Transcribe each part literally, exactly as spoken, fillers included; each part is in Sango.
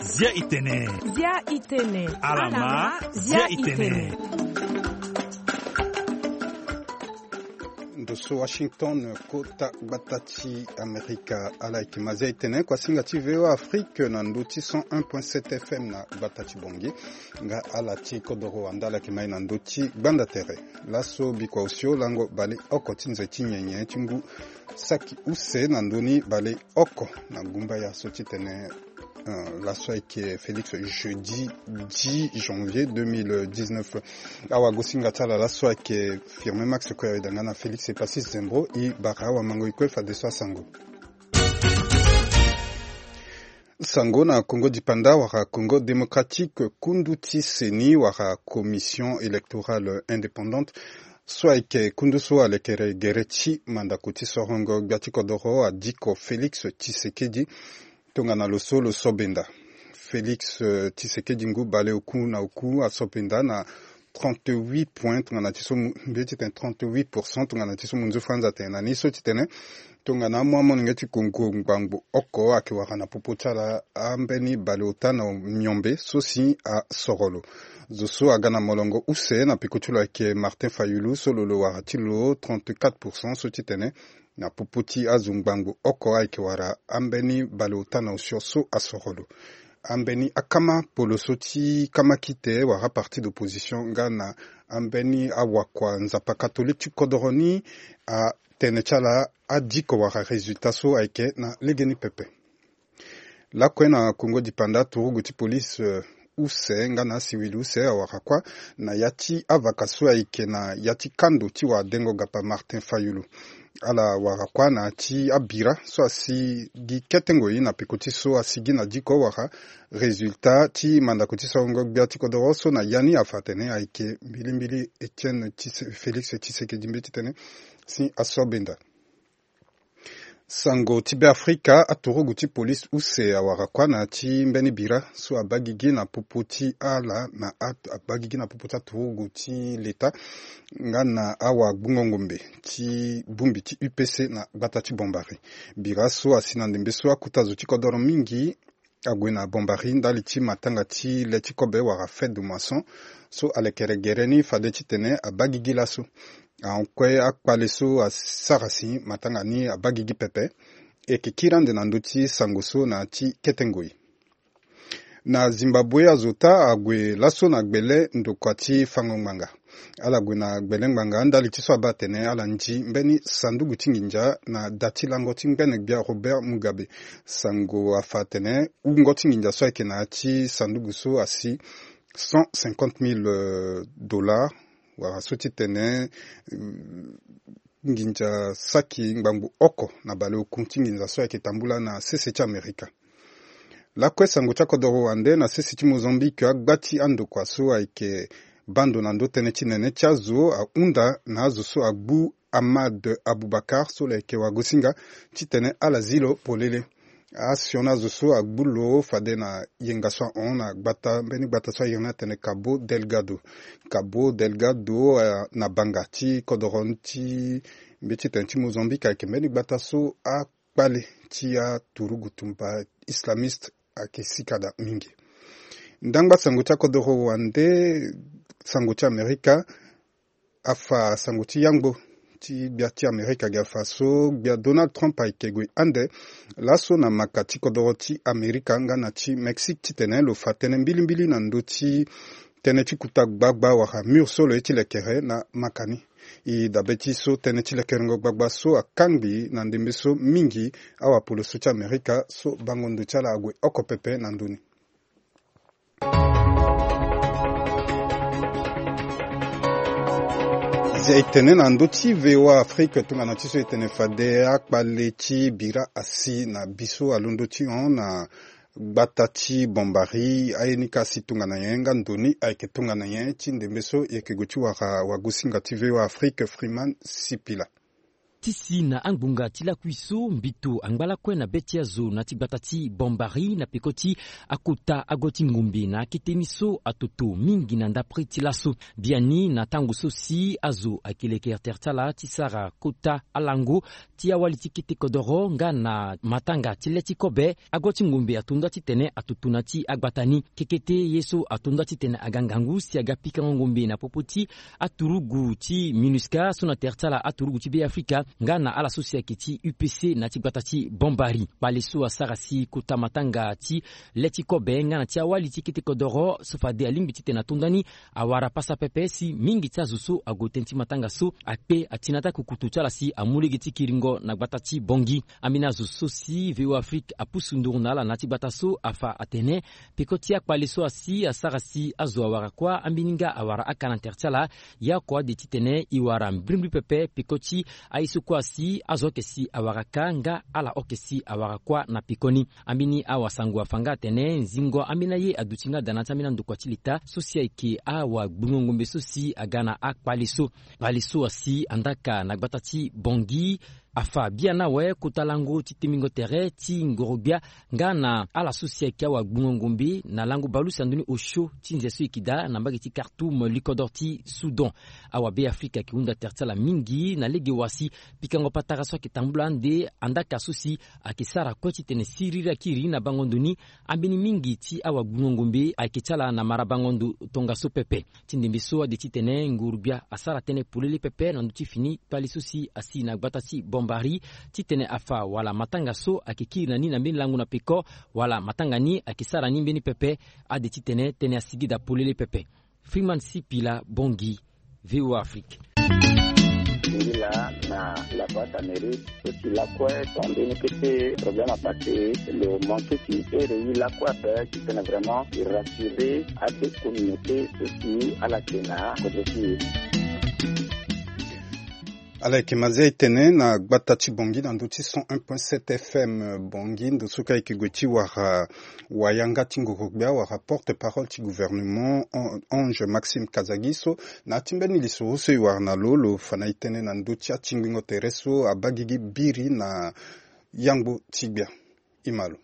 Zia itene. Zia itene. Alama, zia itene. Ndo so Washington, kota gbata ti Amerika. Ala yeke ma zia itene, kuasinga ti V O A Afrique na ndo ti cent un point sept F M na gbata ti Bangui. Nga ala ti kodoro wande ala yeke ma ye na ndo ti gbanda tere. Laso bikua osio lango bale oko ti nze ti nyenye ti ngu saki use na ndoni bale oko na gumbaya so ti tene, euh, laso ayeke Félix, jeudi dix janvier deux mille dix-neuf. Awagosinga ti ala laso ayeke Firmin Max Koyaweda nga na Félix Epasis Zembro. E bara awamango e kue fadeso asango. Sango na Congo dipanda wala Congo démocratique, kundu ti CENI wala Commission électorale indépendante, so ayeke kundu so alekere gere ti mandako ti sorongo gbia ti kodoro adiko Félix Tshisekedi. Tongana lo so lo so benda Félix, euh, Tshisekedi ngu bale oku na oku aso benda na trente-huit points tongana ti so mu-, mbeti tene trente-huit pour cent tongana ti so munzu franza tene na ni so ti tene tongana amu amolenge ti kongo ngbangbo oko ayeke wara na popo ti ala ambeni bale ota na miombe so si asoro lo. Zo so aga na molongo use na peko ti lo ayeke Martin Fayulu so lo lo wara ti lo trente-quatre pour cent so ti tene na popo ti azo ngbangbo oko ayeke wara ambeni bale ota na osio so asoro lo. Ambeni akama polo so ti kama kite wala aparti d'opposition nga na ambeni awakua nzapa catholique ti kodoro ni, atene ti ala adiko wala résultat so ayeke na legeni pepe. Lakue na Congo dipanda, turugu ti police, euh, use nga na asiwili use awara kuâ na ya ti avaka so ayeke na ya ti kando ti wadengo gapa Martin Fayulu. Ala wara kuâ na ya ti abira so asi gi kete ngoi na peko ti so asi gi na diko wara résultat ti mandako ti sorongo gbia ti kodoro so na ya ni afa atene ayeke mbilimbili Etienne Tshisekedi, Félix Tshisekedi mbeti tene si aso benda. Sango ti Beafrika, aturugu ti police use awara kuâ na ya ti mbeni bira so abaa gigi na popo ti ala na a-, abaa gigi na popo ti aturugu ti leta nga na awagbungo ngombe ti bongbi ti U P C na gbata ti Bombari. Bira so asi na ndembe so akota zo ti kodoro mingi ague na Bombari ndali ti matanga ti le ti kobe wala fête de moisson so alekere gere ni fade titene abaa gigi laso. Ahon kue akpale so asara si matanga ni abaa gigi pepe. E yeke kiri ande na ndö ti sango so na ya ti kete ngoi. Na Zimbabwe, azo ota ague laso na gbele ndokua ti fango ngbanga. Ala gue na gbele ngbanga ndali ti so abaa atene ala ndi mbeni sanduku ti nginza na da ti lango ti ngbene gbia Robert Mugabe. Sango afa atene wungo ti nginza so ayeke na ya ti sanduku so asi cent cinquante mille, euh, dollars, wala so ti tene, euh, nginza saki ngbangbo oko na baleokun ti nginza so ayeke tambula na sese ti Amerika. Lakue sango ti akodoro wande na sese ti Mozambique, agba ti andokua so ayeke bando na ndö tënë ti nene ti azo ahunda na azo so agbu Ahmad Abubakar so lo yeke wagosinga titene ala zi lo polele. Asioni azo so agbu lo fade na yenga so ahon na gbata, mbeni gbata so ayeke na atene Cabo Delgado. Cabo Delgado, eh, na banga ti kodoro ti mbeti tene ti Mozambique ayeke mbeni gbata so a kpale ti aturugu tumba islamiste ayeke sika daa mingi. Ndangba sango ti akodoro wande, sango ti Amerika afa sango ti yangbo ti gbia ti Amerika ge afa so gbia Donald Trump ayeke gue ande laso na maka ti kodoro ti Amerika nga na ti Mexique titene lo fa tënë mbilimbili na ndö ti tënë ti kuta gbagba wala mur so lo ye ti lekere na maka ni. E dabe ti so tënë ti lekerengo gbagba so akangbi na ndembe so mingi awapolo so ti Amerika so bango ndo ti ala ague oko pepe na ndö ni. Zia e tene na ndö ti V O A Afrique tongana ti so e tene fade akpale ti bira asi na bi so alondo ti hon na gbata ti Bombari, aye ni ka asi tongana nyen nga ndo ni ayeke tongana nyen? Ti ndembe so e yeke gue ti wara wagosinga ti V O A Afrique Freeman Sipila. Ti si na angbonga ti lakui so mbito angba lakue na be ti azo na ti gbata ti Bombari na peko ti akota ago ti ngombe na akete ni so atoto mingi na ndapre ti laso. Biani na tango so si azo ayeke leke tere ti ala ti sara kota alango ti awali ti kete kodoro nga na matanga ti le ti kobe, ago ti ngombe ato nda titene atoto na ti agbata ni. Kekete ye so ato nda titene aga ngangu si aga pikango ngombe na popo ti aturugu ti MINUSCA so na tere ti ala aturugu ti Beafrika nga na ala so si ayeke ti U P C na ti gbata ti Bombari. Kpale so asara si kota matanga ti le ti kobe nga na ti awali ti kete kodoro so fade alingbi titene ato nda ni awara pasa pepe si mingi ti azo so ague tënë ti matanga so akpe ati na ata kukutu ti ala si amu lege ti kiringo na gbata ti Bongi. Ambeni azo so si V O A Afrique apusu nduru na ala na ya ti gbata so afa atene peko ti akpale so asi asara si azo awara kuâ ambeni nga awara aka na tere ti ala. Ya oko ade titene e wara mbrimbri pepe peko ti aye so kuâ asi azo oke si awara ka nga ala oke si awara kuâ na pekoni. Ambeni awasango afa nga atene nzingo ambeni aye aduti nga daa na ya ti ambeni andokua ti leta so si ayeke awagbungo ngombe so si aga na akpale so. Kpale so asi andaka na gbata ti Bongi afa biani awe kota lango ti tembingo tere ti ngorogbia nga na ala so si ayeke awagbungo ngombe na lango baleuse na ndoni osio ti nze so e yeke daa na mbage ti Khartoum, likodro ti Soudan. Awabeafrika ayeke hunda tere ti ala mingi na lege wa si pikango patara so ayeke tambula ande andaka so si ayeke sara kue titene siriri akiri na bango ndo ni. Ambeni mingi ti awagbungo ngombe ayeke ti ala na mara bango ndo tongaso pepe. Ti ndembe so ade titene nguru-gbia asara tënë polele pepe na ndö ti fini kpale so si asi na gbata ti Bombari titene afa wala matanga so ayeke kiri na ni na mbeni lango na peko wala matanga ni ayeke sara ni mbeni pepe. Ade titene tënë asigi daa polele pepe. Freeman Sipila, Bongi, V O A Afrique. Singila na la boîte à mérite so si lakue so ambeni kete problème apassé lo manqué ti ere ye lakue ape titene vraiment e rassurer ade communauté so si ala yeke na kodro ti e. Ala yeke Mazia e tene na gbata ti Bongi na ndö ti cent un point sept F M Bongi, ndo so ka yeke gue ti wara wayanga ti ngoro-gbia wala porte-parole ti gouvernement, An-, Ange Maxime Kazagi so na ya ti mbeni lisoro so e wara na lo, lo fa na e tënë na ndö ti atingbingo tere so abaa gigi biri na yangbo ti gbia. E ma lo.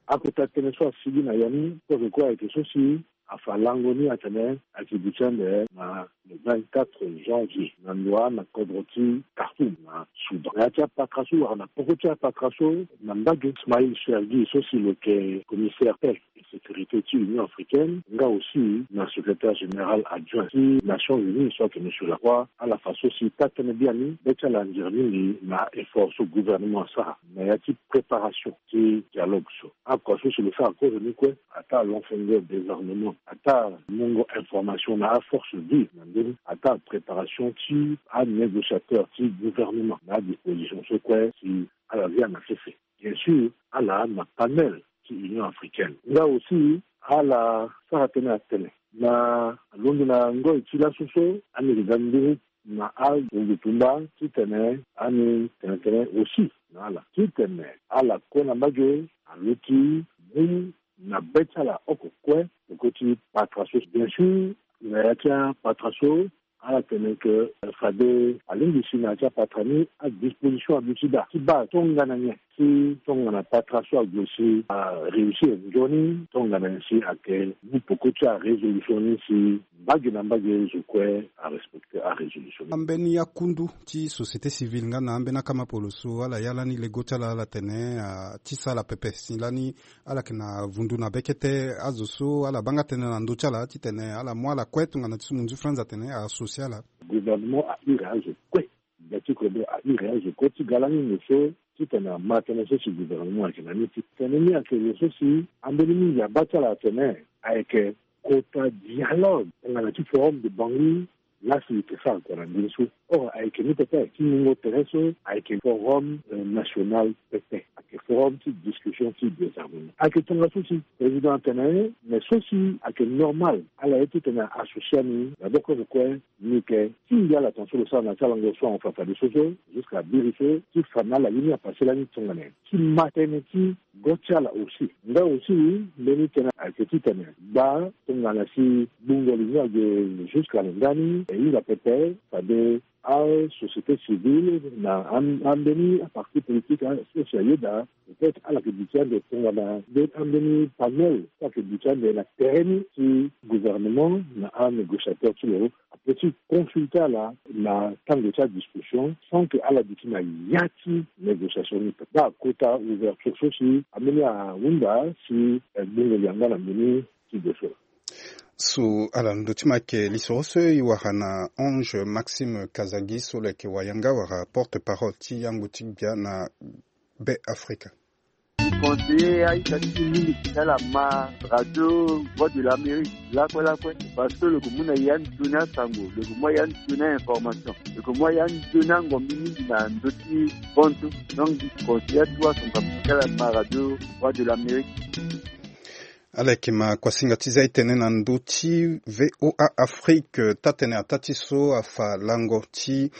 Akota tënë so asigi na ya ni kozo kue ayeke so si afa lango ni atene ayeke duti ande na le vingt-quatre janvier na ndoa na kodro ti Khartoum na Soudan. Na ya ti apatra so wala na poko ti apatra so na mbage Ismail Chergui so si lo yeke commissaire paix et sécurité ti Union africaine nga aussi na secrétaire général adjoint ti Nations Unies so ayeke monsieur Lacroix, ala fa so si taa-tënë biani be ti ala anzere mingi na effort so gouvernement asara na ya ti préparation ti dialogue so. Oko so si lo sara kozo ni kue, ataa longfengo désarmement, ataa mungo information na aforce vive na ndö ni, ataa préparation ti anégociateur ti gouvernement na adisposition so kue si ala via na sese. Bien sûr, ala na panel ti Union africaine nga aussi ala sara tënë atene na londo na ngoi ti laso so ani yeke ga nduru na azo tumba titene ani tene tënë aussi na ala titene ala kue na mbage aluti mu na be ti ala oko kue. Peko ti patra so bien sûr na ya ti apatra so ala tene ke fade alingbi si na ya ti apatra ni adisposition aduti daa ti baa tongana nyen ti tongana patra so ague si aréussir nzoni tongana nyen si ayeke mu peko ti arésolution ni si mbage na mbage zo kue arespecte arésolution ni. Ambeni akundu ti société civile nga na ambeni akamapolo so ala ya lani lego ti ala ala tene ah, ti sara pepe si lani ala yeke na vundu na be kete azo so ala baa nga tënë na ndö ti ala titene ala mu ala kue tongana ti so munzu franz atene associe ala. Gouvernement ahiri azo kue. Gbia ti kodro ahiri azo kue ti ga lani nde so titene ama tënë so si gouvernement ayeke na ni ti tënë ni ayeke lo so si ambeni mingi abaa ti ala atene ayeke kota dialogue tongana ti forum de Bangui. Lasi e yeke sara kua na ndeni so. Or ayeke ni pepe ti mungo tere so ayeke forum national pepe ayeke forum ti discussion ti désarmement ayeke tongaso si président atene mais so si ayeke normal ala ye titene associe ani na boko zo kue. Ni yeke ti ngia ala tongaso lo sara na ti alango so ahon fa fadeso so jusqu'à biri so ti fa na ala ye ni apase lani tongana nyen ti ma tënë ti go ti ala aussi. Nga aussi mbeni tënë ayeke titene gba tongana si gbungo li ni ague jusqu'à lo ndani E hinga pepe fade asociété civile na am- ambeni aparti politique a- so si ayeda, peut-être ala yeke duti ande tongana nde ambeni panel so ayeke duti ande na tere ni ti gouvernement na anégociateur ti lo apeut ti consulter ala na tango ti adiscussion sans que ala duti na ya ti négociation ni. Nda kota ouverture so si ambeni ahunda si, eh, gbungo yanga na mbeni ti dossier. So ala ndo ti ma yeke lisoro so e wara na Ange Maxime Kazagi so lo yeke wayanga wala porte-parole ti yango ti gbia na Be Afrika. Conseiller aita ti mingi ti ala ma radio Voix de l'Amérique lakue lakue, parce que lo yeke mu na ya nzoni asango, lo yeke mu ya nzoni a-information, lo yeke mu ya nzoni angombi mingi na ndö ti bantu. Donc conseiller atu asango ti ala ma radio Voix de l'Amérique. Ala yeke ma kuasinga ti za e tene na ndö ti V O A Afrique, taa-tene ataa ti so afa lango ti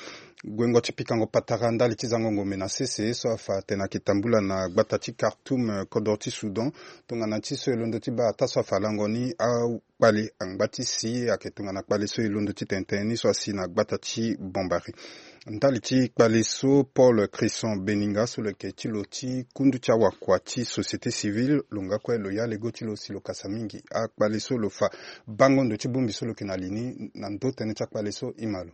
guengo ti pikango patara ndali ti zango ngombe na sese so afa atene ayeke tambula na gbata ti Khartoum, eh, kodro ti Soudan. Tongana ti so e londo ti baa ataa so afa lango ni akpale angba ti si ayeke tongana kpale so e londo ti tene tënë ni so asi na gbata ti Bombari. Ndali ti kpale so, Paul Christian Beninga so lo yeke ti lo ti kundu ti awakua ti société civile, lo nga kue lo ya lego ti lo si lo kasa mingi akpale so lo fa bango ndo ti bongbi so lo yeke na li ni na ndö tënë ti akpale so. Ima lo.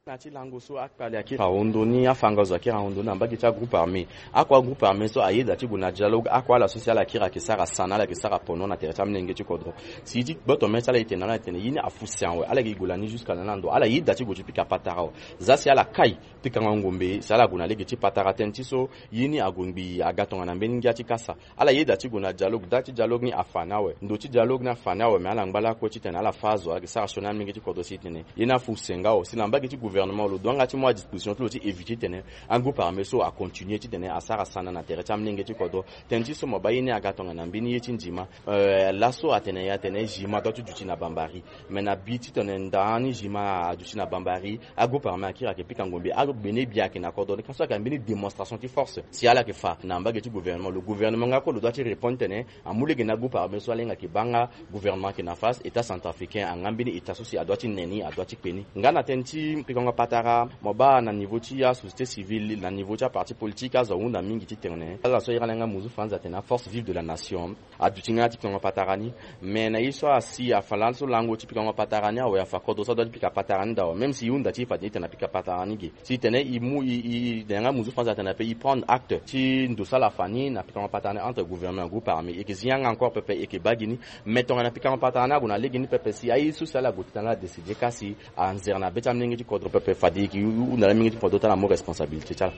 Na ti lango so akpale akiri ahondo ni, afangazo akiri ahondo ni na mbage ti agroupe armé. Akua groupe armé so ayeda ti gue na dialogue, akua ala so si ala kiri ayeke sara sana, ala yeke sara pono na tere ti amolenge ti kodro. Si ti gboto mê ti ala e tene na ala tene ye ni afu si awe, ala yeke gue lani jusqu'à na ala ndo, ala yeda ti gue ti pika patara awe. Za si ala kai pikango ngombe si ala gue na lege ti patara tënë ti so ye ni ague ngbii aga tongana mbeni ngia ti kasa. Ala yeda ti gue na dialogue, da ti dialogue ni afa ni awe, ndo ti dialogue ni afa ni awe, me ala ngba lakue titene ala fâ azo, ala yeke sara sioni amolenge ti kodro si e tene ye ni afu si nga awe. Si na mbage ti gouvernement lo doit nga ti mu adisposition ti lo ti éviter titene agroupe armé so acontinuer titene asara sana na tere ti amolenge ti kodro. Tënë ti so mo baa ye ni aga tongana mbeni ye ti nzima. Euh, laso atene ye atene Jima doit ti duti na Bambari. Me na bi titene nda ni Jima aduti na Bambari, agroupe armé akiri ayeke pika ngombe, agbene bia ayeke na kodro ni, ka so ayeke na mbeni démonstration ti force si ala yeke fa na mbage ti gouvernement. Lo gouvernement nga kue lo doit ti répondre titene amu lege na agroupe armé so ala hinga ayeke baa nga gouvernement ayeke na face, état centrafricain anga mbeni état so si adoit ti ne ni, adoit ti kpe ni. Nga na tënë ti pikango patara, mo baa na niveau ti asociété civile, na niveau ti aparti politique, azo ahunda mingi titene ala so ahiri ala nga muzu fanza atene aforce vive de la nation. Aduti nga ti pikango patara ni. Me na ye so asi afa laso lango ti pikango patara ni awe, afa kodro so adoit ti pika patara ni daa awe. Même si e hunda ti e fade e tene apika patara ni ge, si e tene e mu e, e, e tene nga muzu fanza atene ape e prendre acte ti ndo so ala fa ni na pikango patara ni entre gouvernement et groupe armé. E yeke zi yanga encore pepe, e yeke baa gi ni. Me tongana pikango patara ni ague na lege ni pepe si aye so si ala gue titene ala décider ka si anzere na be ti amolenge ti kodro pepe, fade e yeke hunda na amolenge ti kodro ti ala amu responsabilité ti ala.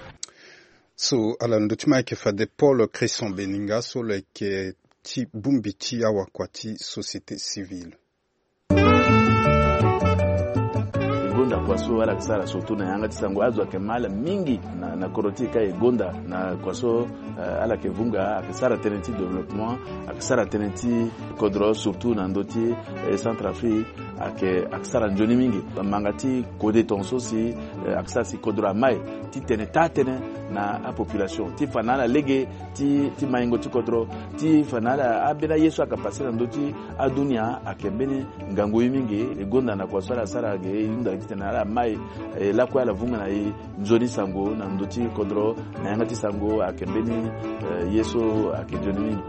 So ala ndo ti ma ayeke fade Paul Christian Beninga so lo yeke ti bongbi ti awakua ti société civile. E gonda kua so ala yeke sara surtout na yanga ti sango, azo ayeke ma ala mingi na, na kodro ti e ka e gonda na kua so, eh, ala yeke vunga, ayeke sara tënë ti développement, ayeke sara tënë ti kodro surtout na ndö ti, eh, Centrafrique, ayeke, ayeke sara nzoni mingi. Manga ti kode tongaso si, eh, ayeke sara si kodro amai titene taa tënë na apopulation ti fa na ala lege ti, ti maingo ti kodro, ti fa na ala ambeni aye so ayeke pase na ndö ti adunia ayeke mbeni ngangu ye mingi. E gonda na kua so ala sara ge, e hunda titene ala mai, eh, lakue ala vunga na e nzoni sango na ndö ti kodro, na yanga ti sango ayeke mbeni, eh, ye so ayeke nzoni mingi.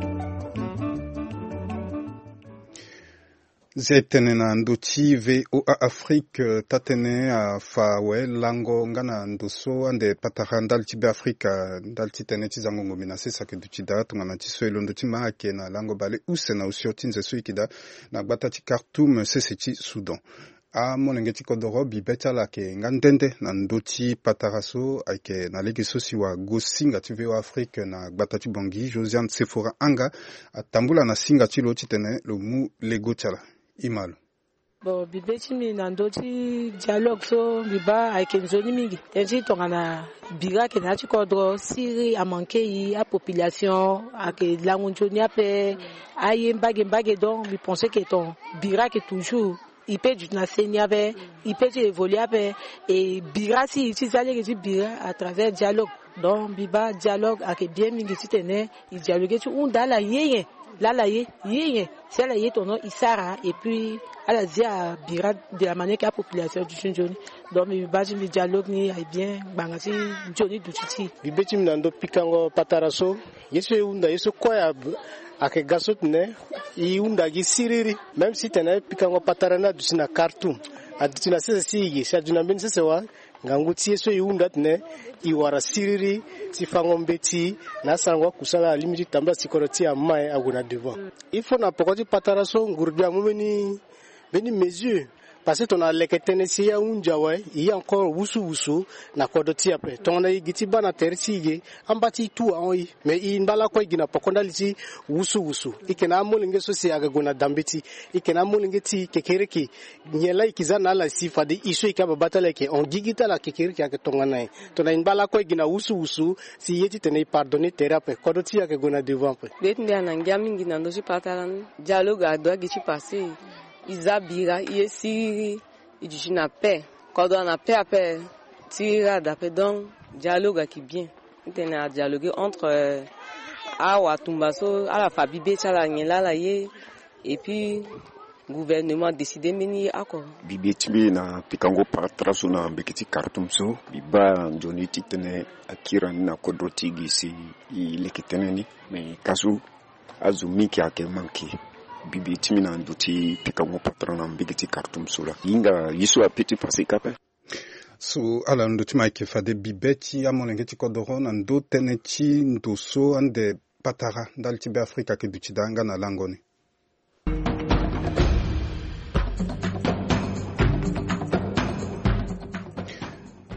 Ze tene na ndö ti V O A Afrique, eh, taa-tënë afa awe lango nga na ndo so ande patara ndali ti Be Afrika, ndali ti tënë ti zango ngombe na sese ayeke duti daa. Tongana ti so e londo ti ma ayeke na lango bale use na osio ti nze so e yeke daa na gbata ti Khartoum, sese ti Soudan. Amolenge ti kodoro bibe ti ala ayeke nga nde nde na ndö ti patara so ayeke na lege so si wagosinga ti V O A Afrique na gbata ti Bangui, Josiane Sefora Anga, atambula na singa ti lo titene lo mu lego ti ala. Ima lo. Bon, bibe ti mbi na ndö ti dialogue so mbi baa ayeke nzoni mingi. Tënë ti tongana bira ayeke na ya ti kodro, siriri amanke e, apopulation ayeke lango nzoni ape, aye mbage mbage. Donc mbi pense que ton bira ayeke toujours, e peut duti na seni ape, e peut ti évoluer ape, e bira si e ti za lege ti bira à travers dialogue. Donc mbi baa dialogue ayeke bien mingi titene e dialoguer ti hunda ala ye nyen, laa ala ye, ye nyen, si ala ye tono e sara, et puis Ala zi abira de la manière ke apopulation aduti nzoni. Donc mbi baa ti mbi dialogue ni aye bien ngbanga ti nzoni duti ti e. Mbi be ti mbi na ndo pikango patara so, ye so e hunda ye so kue ayeke ga so tene e hunda gi siriri. Même si tene pikango patara ni aduti na Khartoum, aduti na sese si e ge si aduti na mbeni sese wa. Ngangu ti ye so e hunda atene e wara siriri ti fango mbeti na asarango akusala alingbi ti tambula si kodro ti e amae ague na devant. Il faut na poko ti patara so nguru gbia amu mbeni mbeni mesure. Parce que tongana leke tënë si e ahunzi awe, e ye encore wusuwusu na kodro ti e ape. Tongana e gi ti baa na tere ti e ge, amba ti e tout ahon e. Mais e ngba lakue e gi na poko ndali ti wusuwusu. E yeke na amolenge so si ayeke gue na da mbeti. E yeke na amolenge ti e kekereke. Nyen laa e yeke za na ala si fade e so e yeke ababa ti ala e yeke hon gigi ti ala kekereke ayeke tongana nyen? Tongana e ngba lakue e gi na wusuwusu si e ye titene e pardonner tere ape, kodro ti e ayeke gue na devant ape. Gbe ti mbi ana ngia mingi na ndö ti patara ni. Dialogue adoit gi ti passé. E za bira, e ye siriri, e duti na paix. Kodro ana paix ape, siriri ada ape. Donc dialogue ayeke bien. Titene adialoguer entre, euh, awatumba so, ala fa bibe ti ala nyen laa ala ye. Et puis gouvernement adécider mbeni oko. Bibe ti mbi na pikango patara so na mbeke ti Khartoum so, mbi baa nzoni titene akiri ni na kodro ti e gi si e leke tënë ni. Me ka so azo mingi ayeke manke. Bibe ti mbi na ndö ti pikango patara na mbeke ti Khartoum so laa, e hinga ye so ape ti passé ka ape. So ala ndo ti ma ayeke fade bibe ti amolenge ti kodoro na ndö tënë ti ndo so ande patara ndali ti Beafrika ayeke duti daa nga na lango ni.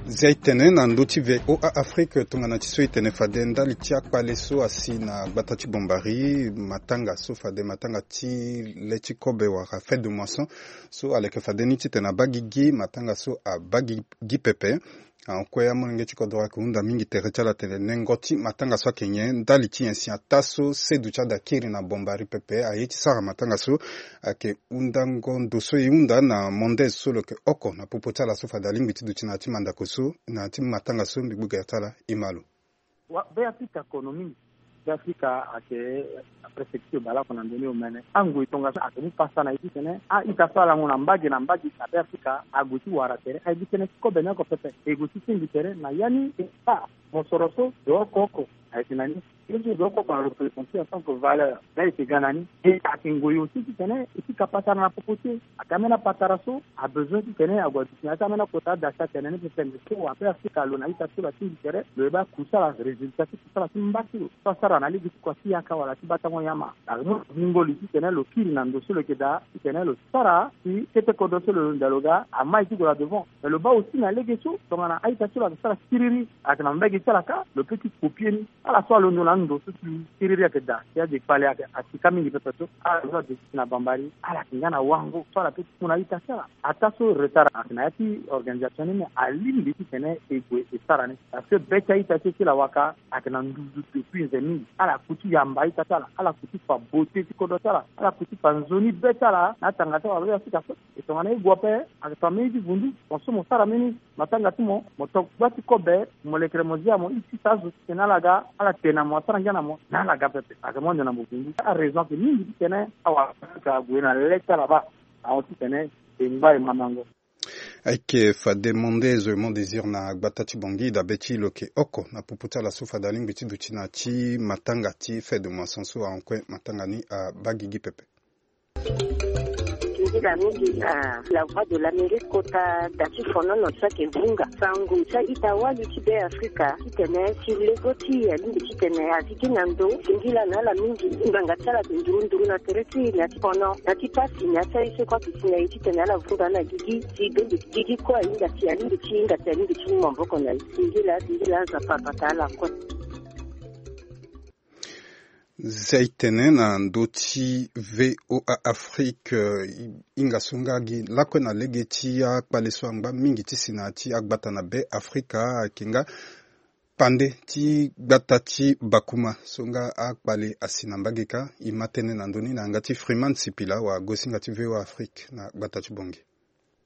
Zia e tene na ndö ti V O A Afrique tongana ti so e tene fade ndali ti akpale so asi na gbata ti Bombari, matanga so fade matanga ti le ti kobe wala fête de moisson. So aleke fade ni titene abaa gigi matanga so abaa gi pepe. Akue amolenge ti kodro ayeke hunda mingi tere ti ala atene nengo ti matanga so ayeke nyen ndali ti nyen si ataa so sedu ti ada kiri na Bombari pepe aye ti sara matanga so. Ayeke hundango ndo so e hunda na Mondes so lo yeke oko na popo ti ala so fade alingbi ti duti na ya ti mandako so na ya ti matanga so mbi gbu gere ti ala e ma lo. Wa be Afrika kono mingi. Be Afrika ayeke préfecture baleoko na ndoni omene. Angoi tongaso ayeke mu pasa na ye titene a-ita so alango na mbage na mbage na be Afrika ague ti wara tere aye gi tënë ti kobe ni oko pepe e gue ti senge tere na ya ni. E baa mosoro so de oko oko ayeke na ni. Ye so de oko oko areprésente en tant que valeur. Nda e yeke ga na ni e ayeke ngoi aussi titene e ti ka patara na popo ti e. Ayeke ambeni apatara so abezoin titene ague aduti na ya ti ambeni akota ada si atene ni pepe. Mais so wa be Afrika lo na ita ti lo atingbi tere lo ye baa kusala résultat ti kusala ti mba ti lo so asara na lege ti kua ti yaka wala ti batango nyama. Ayeke mu lo gi ngoli titene lo kiri na ndo so lo yeke daa titene lo sara si kete kodro so lo yonda lo ga amai ti gue na devant. Mais lo baa aussi na lege so tongana a-ita ti lo ayeke sara siriri ayeke na mbage ti ala kâ lo peut ti copier ni. Ala so alondo na ando so si siriri ayeke daa si ade kpale ayeke asika mingi pepe so ala so ade ti na Bambari ala yeke nga na wango so ala peut ti mu na a-ita ti ala. Ataa so retard ayeke na ya ti organisation ni me alingbi titene e gue e sara ni. Parce que be ti a-ita ti e ti lawaka ayeke na nduzu depuis nze mingi. Ala ku ti yamba a-ita ti ala, ala ku ti fa beauté ti kodro ti ala, ala ku ti fa nzoni be ti ala na atanga ti ala be Afrika so. E tongana e gue ape ayeke fa mbeni ti vundu mo so mo sara mbeni matanga ti mo mo to gba ti kobe mo lekere mo zia mo iti sa azo titene ala ga ala te na mo asara ngia na mo na ala ga pepe. Ayeke mo ande na mo vundu araison ayeke mingi titene awara Afrika ague na le ti ala baa ahon titene e ngba e mandango. Ayeke fade Mondes Raymond Désir na gbata ti Bangui dabe ti lo yeke oko na popo ti ala so fade alingbi ti duti na ya ti matanga ti fête de moisson so ahon kue matanga ni abaa gigi pepe. Singila mingi na La Voix de l'Amérique kota da ti fonono so ayeke vunga sango ti a-ita wali ti Be Afrika titene si lego ti e alingbi titene azi gi na ndo singila na ala mingi. Ngbanga ti ala ayeke nduru nduru na tere ti e na ya ti fono na ya ti pasi na ya ti aye so kue ayeke si na e titene ala vunga na gigi si bende gigi kue ahinga si alingbi ti hinga si alingbi ti mu maboko na e. Singila singila aza papa ta ala kue. Zia e tene na ndö ti V O A Afrique, eh, hinga so nga gi lakue na lege ti akpale so angba mingi ti si na ya ti agbata na Be Afrika ayeke nga pande ti gbata ti Bakuma so nga akpale asi na mbage kâ. E ma tënë na ndö ni na yanga ti Freeman Sipila wa gosinga ti V O A Afrique na gbata ti Bangui.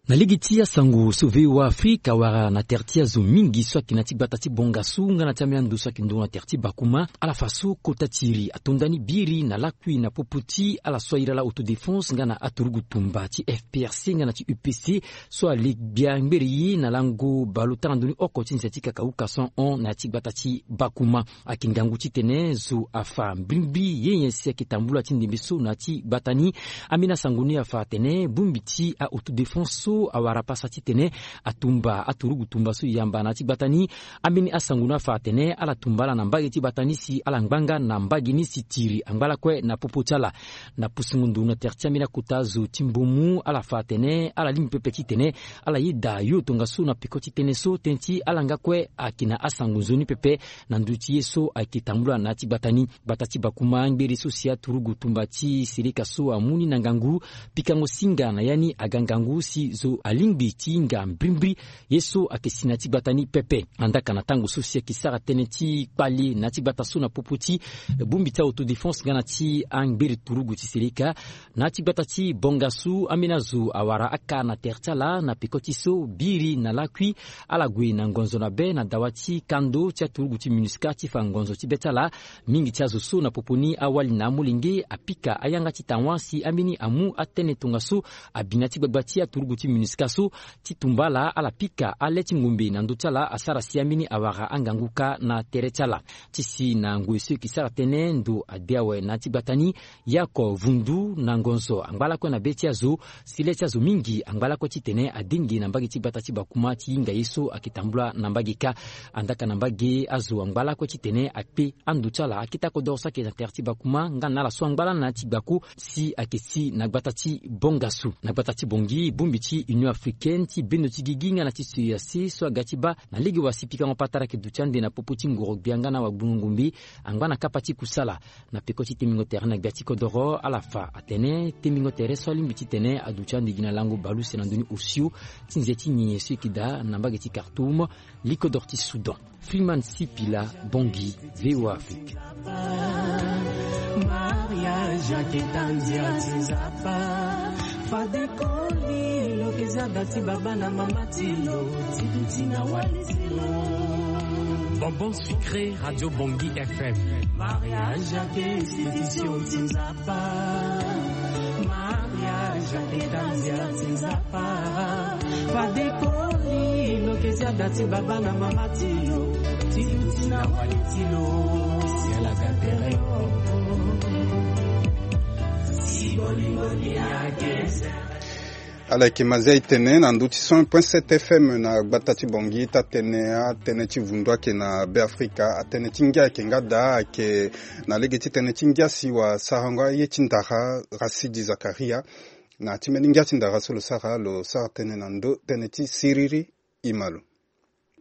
Na lege ti asango so V O A Afrika awara na tere ti azo mingi so ayeke na ya ti gbata ti Bongasu nga na ti ambeni ando so ayeke nduru na tere ti Bakuma, ala fa so kota ti iri atonda ni biri na lakui na popo ti ala so ahiri ala autodéfense nga na aturugu tumba ti F P R C nga na ti U P C so ale gbia ngbere ye na lango bale ota na ndoni oko ti nze ti kakauka cent un na ya ti gbata ti Bakuma. Ayeke ngangu titene zo afa mbrimbri ye nyen si ayeke tambula ti ndembe so na ya ti gbata ni. Ambeni asango ni afa atene bongbi ti a-autodéfense so awara pasa titene atumba aturugu tumba so e yamba na ya ti gbata ni. Ambeni asango ni afa atene ala tumba ala na mbage ti gbata ni si ala ngbanga na mbage ni si tiri angba lakue na popo ti ala. Na pusungo ndo na tere ti ambeni akota zo ti mbomu, ala fa atene ala lingbi pepe titene ala yeda yo tongaso na peko ti tënë so tënë ti ala nga kue ayeke na asango nzoni pepe na ndö ti ye so ayeke tambula na ya ti gbata ni. Gbata ti Bakuma ngbere so si aturugu tumba ti seleka so amu ni na ngangu, pikango singa na ya ni aga ngangu si zo alingbi ti hinga mbrimbri ye so ayeke si na ya ti gbata ni pepe. Andaka na tango so si ayeke sara tënë ti kpale na ya ti gbata so na popo ti bongbi ti autodéfense nga na ti angbere turugu ti seleka na ya ti gbata ti Bongasu, ambeni azo awara aka na tere ti ala na peko ti so biri na lakui ala gue na ngonzo na be na dawa ti kando ti aturugu ti MINUSCA ti fa ngonzo ti be ti ala. Mingi ti azo so na popo ni awali na amolenge apika ayanga ti tawa si ambeni amu atënë tongaso abi na ya ti gbagba ti aturugu ti MINUSCA so ti tumba ala, ala pika ale ti ngombe na ndö ti ala asara si ambeni awara angangu kâ na tere ti ala. Ti si na ngoi so e yeke sara tënë ndo ade awe na ya ti gbata ni, ye oko vundu na ngonzo angba lakue na be ti azo, si le ti azo mingi angba lakue titene adenge na mbage ti gbata ti Bakuma ti hinga ye so ayeke tambula na mbage kâ. Andaka na mbage azo angba lakue titene akpe ando ti ala akita kodoro so ayeke na tere ti Bakuma nga na ala so angba lani na ya ti gbako si ayeke si na gbata ti Bongasu. Na gbata ti Bangui, bongbi ti Union Africaine ti bendo ti gigi nga na ti C E E A C so aga ti baa na lege wa si pikango patara ayeke duti ande na popo ti ngoro gbia nga na wagbungo ngombe angba na kapa ti kusala. Na peko ti tembingo tere na gbia ti kodoro, ala fa atene tembingo tere so alingbi titene aduti ande gi na lango baleuse na ndö ni osio ti nze ti nyenye so e yeke daa na mbage ti Khartoum, likodoro ti Soudan. Freeman Sipila, Bangui, V O A Afrique. Mariage aketa nzia ti Nzapa. Fade koli lo ke zia da ti baba na mama ti lo, ti duti na wali ti lo. Bonbon sucré, Radio Bangui F M. Mariage ake institution ti Nzapa. Mariage aketa nzia ti Nzapa. Fade koli lo ke zia da ti baba na mama ti lo, ti duti na wali ti lo. Si ala ga tere oko. Si bolingo ni ake. Ala yeke mazia e tene na ndö ti cent point sept F M na gbata ti Bangui, taa tënë, atënë ti vundu ayeke na Beafrika, atënë ti ngia ayeke nga daa, ayeke na lege ti tënë ti ngia si wasarango aye ti ndara Rasidi Zakaria. Na ti mbeni ngia ti ndara so lo sara, lo sara tënë na ndö tënë ti siriri. E ma lo.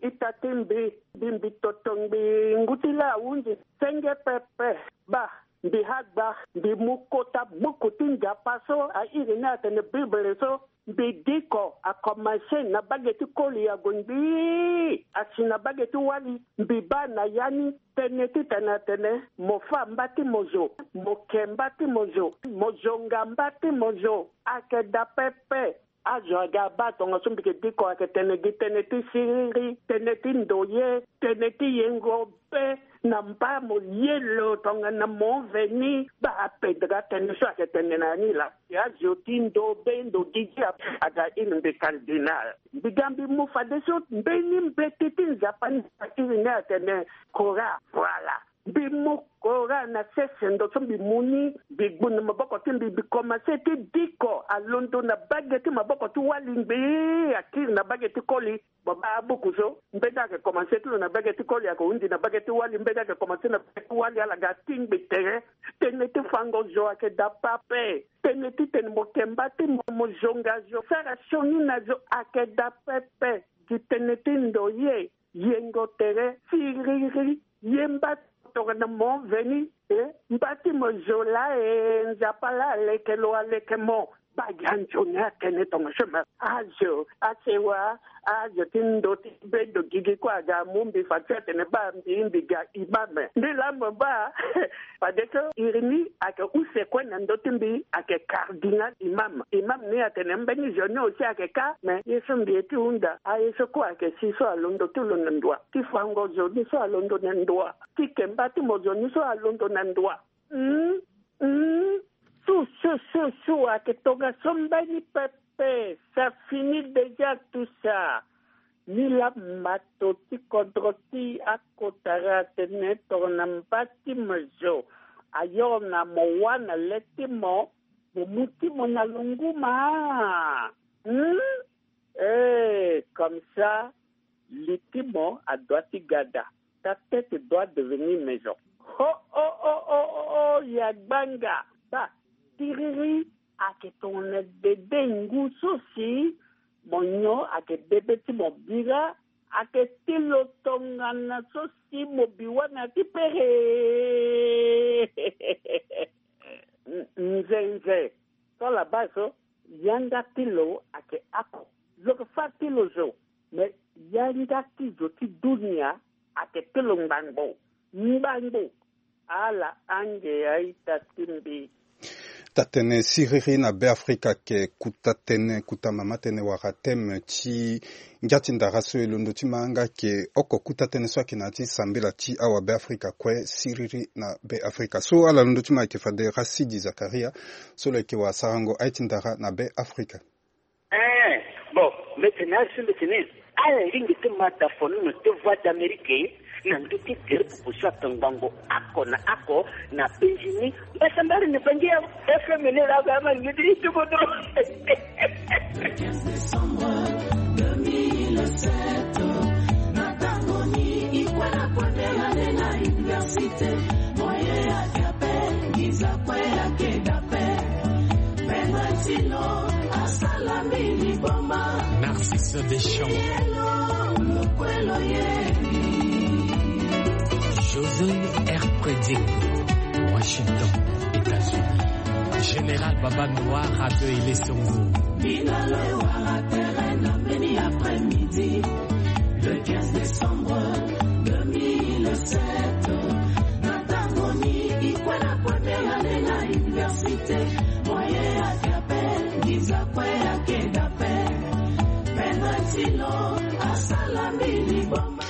Ita ti mbi, mbi, mbi toto ngbi ngu ti laa ahunzi senge pepe. Baa, mbi hagba, mbi mu kota buku ti Nzapa so airi ni atene Bible so, mbi diko akomanse na bage ti koli ague ngbii asi na bage ti wali. Mbi baa na ya ni tënë titene atene mo fâ mba ti mo zo, mo ke mba ti mo zo, mo zonga mba ti mo zo. Ayeke daa pepe. Azo aga abaa tongaso mbi yeke diko ayeke tene gi tënë ti siriri, tënë ti ndoye, tënë ti yengo be na mba mo ye lo tongana mo veni. Baa apedre atënë so ayeke tene na ya ni laa. Azo ti ndo be ndo gigi aga iri mbi cardinal. Mbi ga mbi mu fadeso mbeni mbeti ti Nzapa ni iri ni atene Coran. Voilà. Mbi mu Coran na sese ndo so mbi mu ni, mbi gbu na maboko ti mbi, mbi komanse ti diko alondo na bage ti maboko ti wali ngbii akiri na bage ti koli. Mo baa abuku so, mbeni ayeke komanse ti lo na bage ti koli ayeke hunzi na bage ti wali, mbeni ayeke komanse na bage ti wali ala ga atingbi tere. Tënë ti fango zo ayeke daa pepe. Tënë titene mo ke mba ti mo, mo zonga zo, sara sioni na zo ayeke daa pepe. Gi tënë ti ndoye, yengo tere, siriri, ye mba tongana mo veni, e, mba ti mo zo laa, e, Nzapa laa aleke lo, aleke mo. Kpagi anzoni atene tongo so me. Azo asewa azo ti ndo ti bedo gigi kue aga amu mbi fa ti atene baa mbi mbi ga imam. Mbi lamo baa fadeso iri ni ayeke use kue na ndö ti mbi ayeke cardinal imam. Imam ni atene mbeni zo ni aussi ayeke ka me ye so mbi ye ti hunda aye so kue ayeke si so alondo ti lo na ndoa ti fango zo ni so alondo na ndoa ti kemba ti mo zo ni so alondo na ndoa. Hum, hum. Su su su su ayeke tongaso mbeni pepe. Ça finit déjà tout ça. Ni la mato ti kodro ti akotara atene tongana mba ti mo zo ayoro na mo wâ na le ti mo, mo mu ti mo na longuma. Hum. Eh, comme ça li ti mo adoit ti gada. Ta tête doit devenir maison. Ho ho ho ho ho ho. Ya gbanga. Ba tiriri ayeke tongana dede ngu so si mo nyon ayeke dede ti mo bira. Ayeke ti lo tongana so si mo bi wâ na ya ti pere. Nzenze. So la base so yanga ti lo ayeke ako. Lo yeke fâ ti lo zo. Me yanga ti zo ti dunia ayeke ti lo ngbangbo. Ngbangbo. Ala ange ya ita ti mbi. Tatene siriri na Be Afrika ayeke kuta tënë, kuta mama tënë wala thème ti ngia ti ndara so e londo ti ma nga ayeke oko kuta tënë so ayeke na ya ti sambela ti awa Be Afrika kue siriri na Be Afrika. So ala londo ti ma ayeke fade Rasidi Zakaria so lo yeke wara sarango aye ti ndara na Be Afrika. Eh, bon, mbi tene azo so mbi tene ala lingbi ti ma da fonono ti Voix d'Amérique na ndö ti gere pupu so ayeke ngbongo oko na oko na penzi ni. Mbasambara ni bangi ya F M ni la ga ma ni ti tukutu. Le quinze décembre deux mille sept, na tango ni i kue na première année na université, moyen ya kiape, ngiza kue ya keda pe. Pedro Tilo asala mbi liboma. Narcisse Deschamps. Yelo, lukwelo ye. José R. Predic, Washington, États-Unis. Général Baba Noir, Radio Ilé Songo. Bino lo wara terrain na mbeni après-midi, le quinze décembre deux mille sept. Na tango ni i kue na première année na université, moyen ya kiape, ngiza kue ya keda pe. Pedro Tilo asala mbi liboma.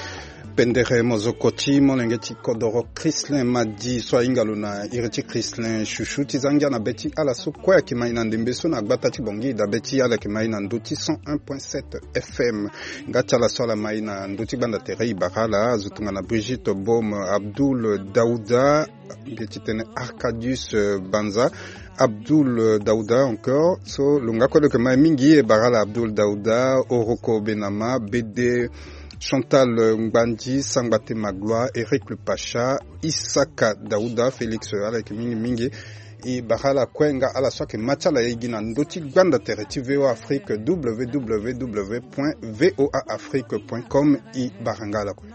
Pendere mozoko ti molenge ti kodoro Chrislin Madi so ahinga lo na iri ti Chrislin Chouchou ti za ngia na be ti ala so kue ayeke ma e na ndembe so na gbata ti Bangui dabe ti ala yeke ma e na ndö ti cent un point sept F M. Nga ti ala so ala ma e na ndö ti gbanda tere e bara ala azo tongana Brigitte Baume, Abdoul Daouda, mbi ye ti tene Arcadius, euh, Banza, Abdoul, euh, Daouda encore. So lo nga kue lo yeke ma e mingi e bara ala Abdoul Daouda, Oroko Benama, Bede Chantal, euh, Ngbandi, Sangbate Magloire, Eric le Pacha, Isaka Daouda, Félix, euh, ala yeke mingi mingi. E bara ala kue nga ala so ayeke ma ti ala e gi na ndö ti gbanda tere ti V O A Afrique, W W W point V O A Afrique point com. E bara nga ala kue.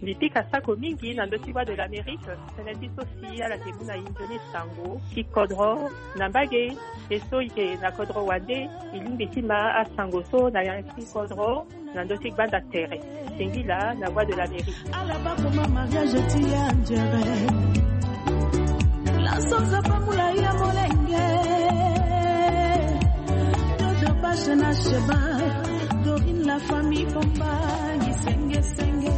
Mbi pika sako mingi na ndö ti Voix de l'Amérique, tënë ti so si ala yeke mu na e nzoni sango ti kodro na mbage. E so e yeke na kodro wande, e lingbi ti ma asango so na ya ti kodro na ndö ti gbanda tere. Singila na Voix de l'Amérique. Ala bakoma mariage ti ya njere. Laso nzapa mula ya molenge. Dodo bashe na sheba. Dorine la famille Bombangi senge senge.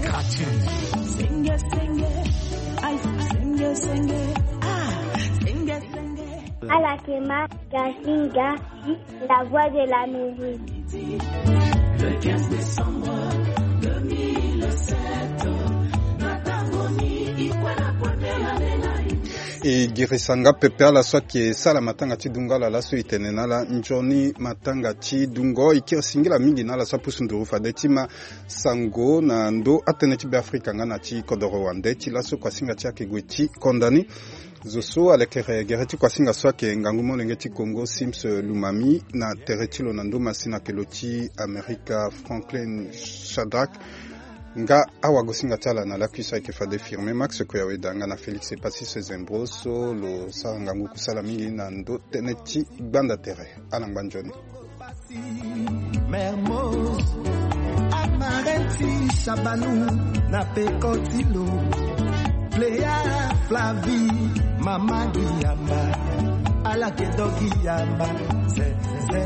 Senge senge. Aïe senge senge. Ah, senge senge. Ala yeke ma gasinga. La Voix de l'Amérique. Le quinze décembre deux mille sept, na tango ni i kue na première année na e. E girisa nga pepe ala so ayeke sala matanga ti dungo ala laso e tene na ala nzoni matanga ti dungo. E kiri singila mingi na ala so apusu nduru fade ti ma sango na ndö atënë ti Beafrika nga na ti kodoro wande ti laso kuasinga ti ayeke gue ti konda ni. Zo so alekere gere ti kuasinga so ayeke ngangu molenge ti Congo Sims Lumami na tere ti lo na ndö masina ayeke lo ti Amerika Franklin Shadrack. Nga awagosinga ti ala na lakui so ayeke fade firme Max Koyaweda nga na Félix Epassis Zembro so lo sara ngangu kusala mingi na ndo tënë ti gbanda tere. Ala ngba nzoni. Mermoz, Amarenti, Shabanu, na peko ti lo. Cléa, Flavie, Mama Giyamba, ala ke do Giyamba, ze, ze.